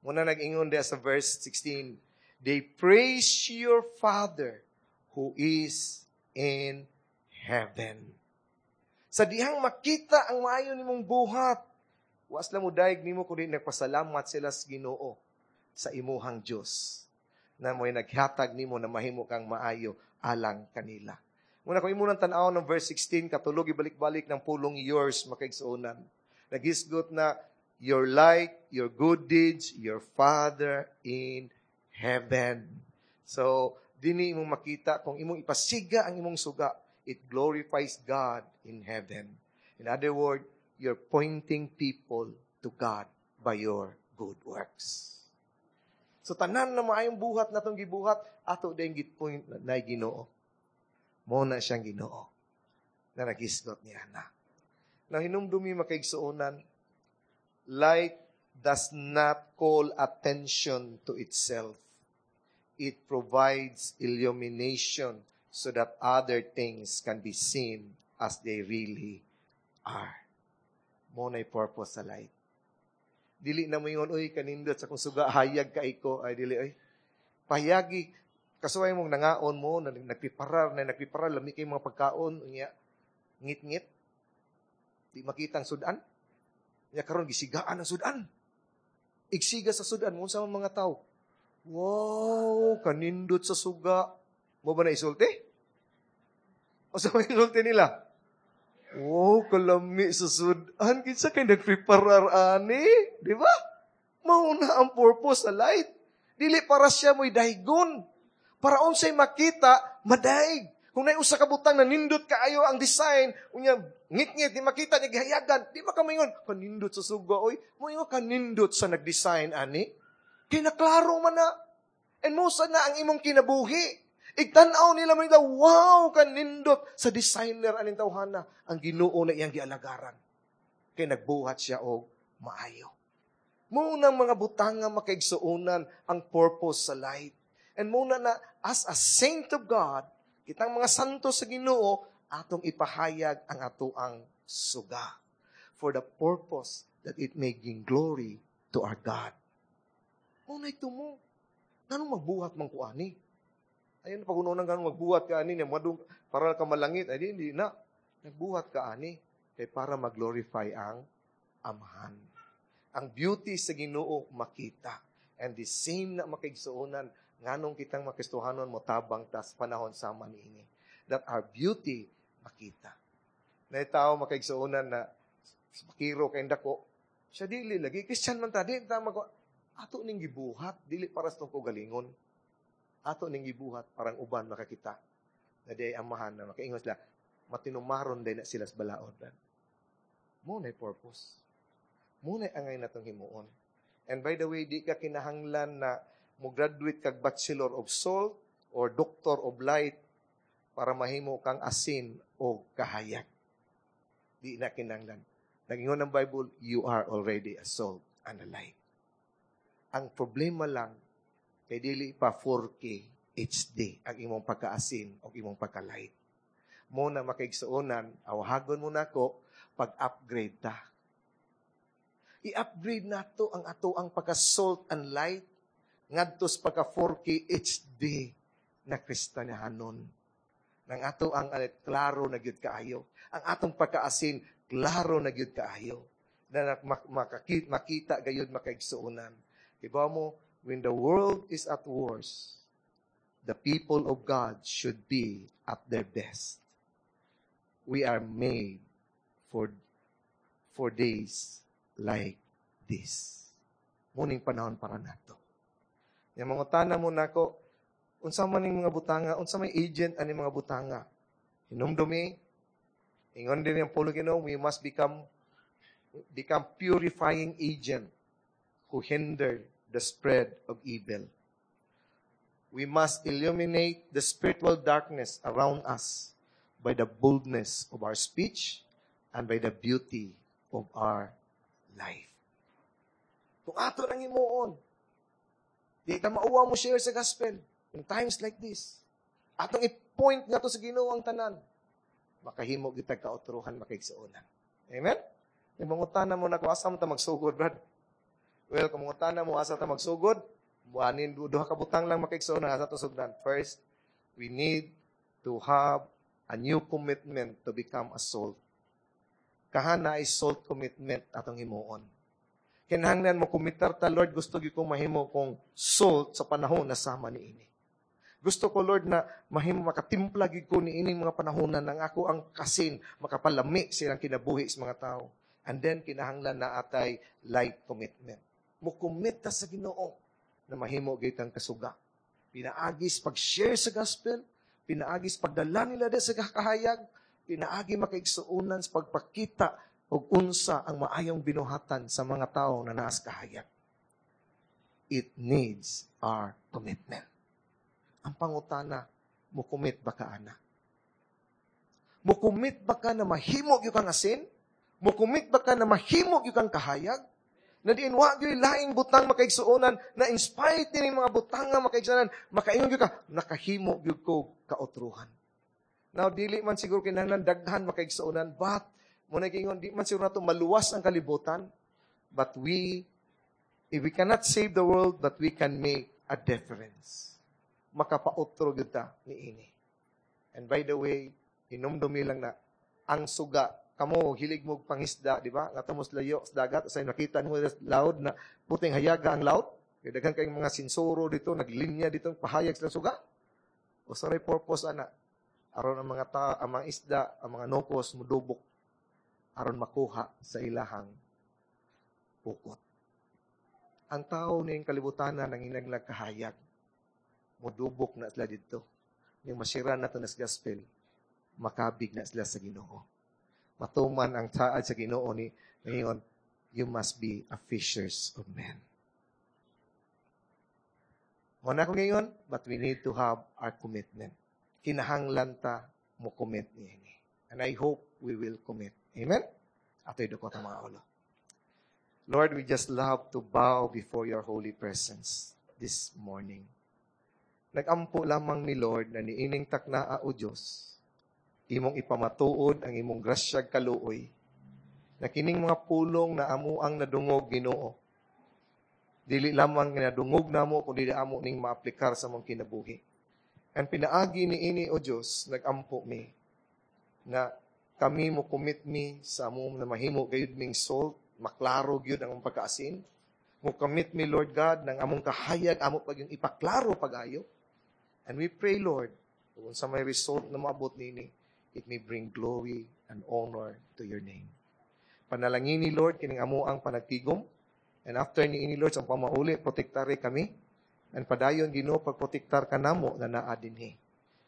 Muna nag-ingon diya sa verse sixteen, they praise your Father who is in heaven. Sa dihang makita ang maayo nimong buhat, was lang mo daig nimo kundi nagpasalamat sila sa Ginoo sa imuhang Dios na mo'y naghatag nimo na mahimo kang maayo alang kanila. Muna kung imo nang tan-aw ng verse sixteen, katulog ibalik-balik ng pulong yours makaigsuonan. Nagisgot na your light, your good deeds, your Father in heaven. So, dini imong makita kung imong ipasiga ang imong suga, it glorifies God in heaven. In other words, you're pointing people to God by your good works. So tanan na maayong buhat na itong gibuhat, ato din gitpoint na Ginoo. Mo na siyang Ginoo na nagisgot niya na. Na hinumdumi makaigsuonan, light does not call attention to itself. It provides illumination so that other things can be seen as they really are. Mo na'y purpose sa light. Dili na mo ingon, uy, kanindot sa kong suga, hayag ka iko. Ay, dili, ay. Pahayagi, kasuway mong nangaon mo, na nagpiparar, na nagpiparar, lami kay mga pagkaon, unya, ngit-ngit, di makita ang sudan. Unya karon gisigaan ang sudan. Igsiga sa sudan, mo sa mga tao. Wow, kanindot sa suga. Mo ba na isulti? O sa mga isulti nila? Wow, kalami sa sudan. Kinsa kay nagpreparar ani? Di ba? Mauna ang purpose sa light. Dili para siya mo'y daygon. Para unsay makita, madaig. Kung naay usa ka butang na nindot kaayo ang design, unya ngit-ngit di makita niya gihayagan, di ba ka maingon kanindot sa suga oy? Moingon kanindot sa nag-design ani. Kay naklaro man na. And mosa na ang imong kinabuhi. Igtan-aw nila mo nila, wow, kanindot sa designer aning tawhana ang Ginoo na iyang gialagaran. Kay nagbuhat siya og maayo. Muna mga butang nga makaigsuonan ang purpose sa light. And muna na as a saint of God, kitang mga santo sa Ginoo, atong ipahayag ang atoang suga for the purpose that it may bring glory to our God. Muna ito mo. Nganong magbuhat man ko ani? Ayun, pag unang ganun, magbuhat ka ani, madung, para ka malangit, ay di, hindi na. Nagbuhat ka ani, kay para mag-glorify ang Amahan. Ang beauty sa Ginoo makita. And the same na makaigsuonan, nganong kitang makristohanon mo tabang tas panahon sama niini. That our beauty makita. Na tao makaigsuonan na pakiro kay dako, siya dili lagi Christian man ta di ta mag ato ning gibuhat dili para sa tong kaugalingon. Ato ning gibuhat parang uban makakita. Na di amahan na makaingon sila matinumaron din na sila sa balaod. Mo na purpose. Mo na angay natong himuon. And by the way, di ka kinahanglan na mo graduate kag Bachelor of Salt or Doctor of Light para mahimo kang asin o kahayag. Di na kinahanglan. Nagingon ng Bible, you are already a salt and a light. Ang problema lang, kay dili pa four K H D ang imong pagkaasin o imong pagka-light. Mo na makaigsuonan, awhagon mo nako, pag-upgrade ta. I-upgrade nato ang ato ang pagka-salt and light ngadto sa pagka four K H D na Kristyahanon. Nang ato ang uh, klaro na gyud kaayo. Ang atong pagkaasin, klaro na gyud kaayo. Na makakita, makita gayud makaigsuonan. Diba mo, when the world is at worst, the people of God should be at their best. We are made for for days like this. Muning panahon para nato. Yang mangutana mo nako, unsa man ning mga butanga, unsa may agent ani mga butanga? Hinumdumi, ingon din yung Pulong Ginoo, we must become become purifying agent who hinder the spread of evil. We must illuminate the spiritual darkness around us by the boldness of our speech and by the beauty of our life. Kung ato nang himuon, di ta mauwa mo share sa gospel in times like this. Atong i-point nga to sa Ginoo ang tanan. Makahimo gyud tag kautruhan makaigsuonan. Amen? Yung mangutana mo na kung asa mo ta magsugod, brad. Well, kung mangutana mo asa ta magsugod, buhanin duha ka butang lang makaigsuonan asa to sugdan. First, we need to have a new commitment to become a salt. Kahana ay salt commitment atong himuon. Kinahanglan mo komitar ta, Lord, gusto gyud kong mahimo kong salt sa panahon na sama niini. Gusto ko, Lord, na mahimo makatimpla gyud ko niining mga panahonan nang ako ang kasin, makapalami silang kinabuhi sa mga tao. And then, kinahanglan na atay light commitment. Mo-commit ta sa Ginoo na mahimo gyud kang kasuga. Pinaagis pag-share sa gospel, pinaagis pagdala nila sa kahayag, pinaagi makaigsuonan sa pagpakita og unsa ang maayong binuhatan sa mga tao na naas kahayag. It needs our commitment. Ang pangutana, mo commit ba ka ana? Mo commit ba ka na mahimo gyud kang asin? Mo commit ba ka na mahimo gyud kang kahayag? Na diin wa gyud laing butang makaigsuonan na in spite ni mga butang nga makaigsuonan, makaingon gyud ka, nakahimo gyud ko kautruhan. Now dili man siguro kinahanglan daghan makaigsuonan, but mo na giingon di man siguro nato maluwas ang kalibutan, but we if we cannot save the world, but we can make a difference. Makapautro gyud ta niini. And by the way, hinumdumi lang na ang suga, kamo hilig mo pangisda, di ba? Nga mo layo sa dagat, sa nakita mo laod na puting hayaga ang laot. Kay daghan kayong mga sinsoro dito, naglinya dito, pahayag sa suga. O sa purpose ana, aron ang mga ta, ang mga isda, ang mga nokos mudubok aron makuha sa ilahang pukot. Ang tao ning kalibutan na nanginaglag kahayag, mudubok na sila dito. Ning masira na to nas gospel, makabig na sila sa Ginoo. Matuman ang saad sa Ginoo ni ngayon, you must be a fishers of men. Mo na ko ngayon, but we need to have our commitment. Kinahanglan ta mo commit niini. And I hope we will commit. Amen? Ato'y dukot ang mga ulo. Lord, we just love to bow before your holy presence this morning. Nagampo lamang ni Lord na niining taknaa o Diyos, imong ipamatuod ang imong grasyag kaluoy, na kining mga pulong na amo ang nadungog Ginoo. Dili lamang nadungog namo kundi amo ning maaplikar sa among kinabuhi. And pinaagi niini, O Diyos, nagampo mi na kami mo commit mi sa among na mahimo gayud ming salt, maklaro gyud ang among pagkaasin. Mo commit mi, Lord God, ng among kahayag, amo pag yung ipaklaro pag-ayo. And we pray, Lord, kung sa may result na maabot nini, it may bring glory and honor to your name. Panalangini, Lord, kining amo ang panagtigom. And after niini, Lord, sa pamauli, protektare kami. And padayon, Ginoo, pagprotektar ka namo na naa dinhi.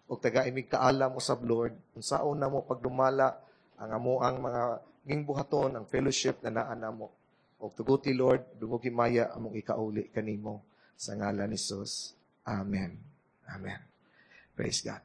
Og tagai mig kaalam usab, Lord, unsaon namo pagdumala ang amo ang mga gingbuhaton, ang fellowship na naa namo. Og tuguti, Lord, dungog himaya among ikauli kanimo sa ngalan ni Jesus. Amen. Amen. Praise God.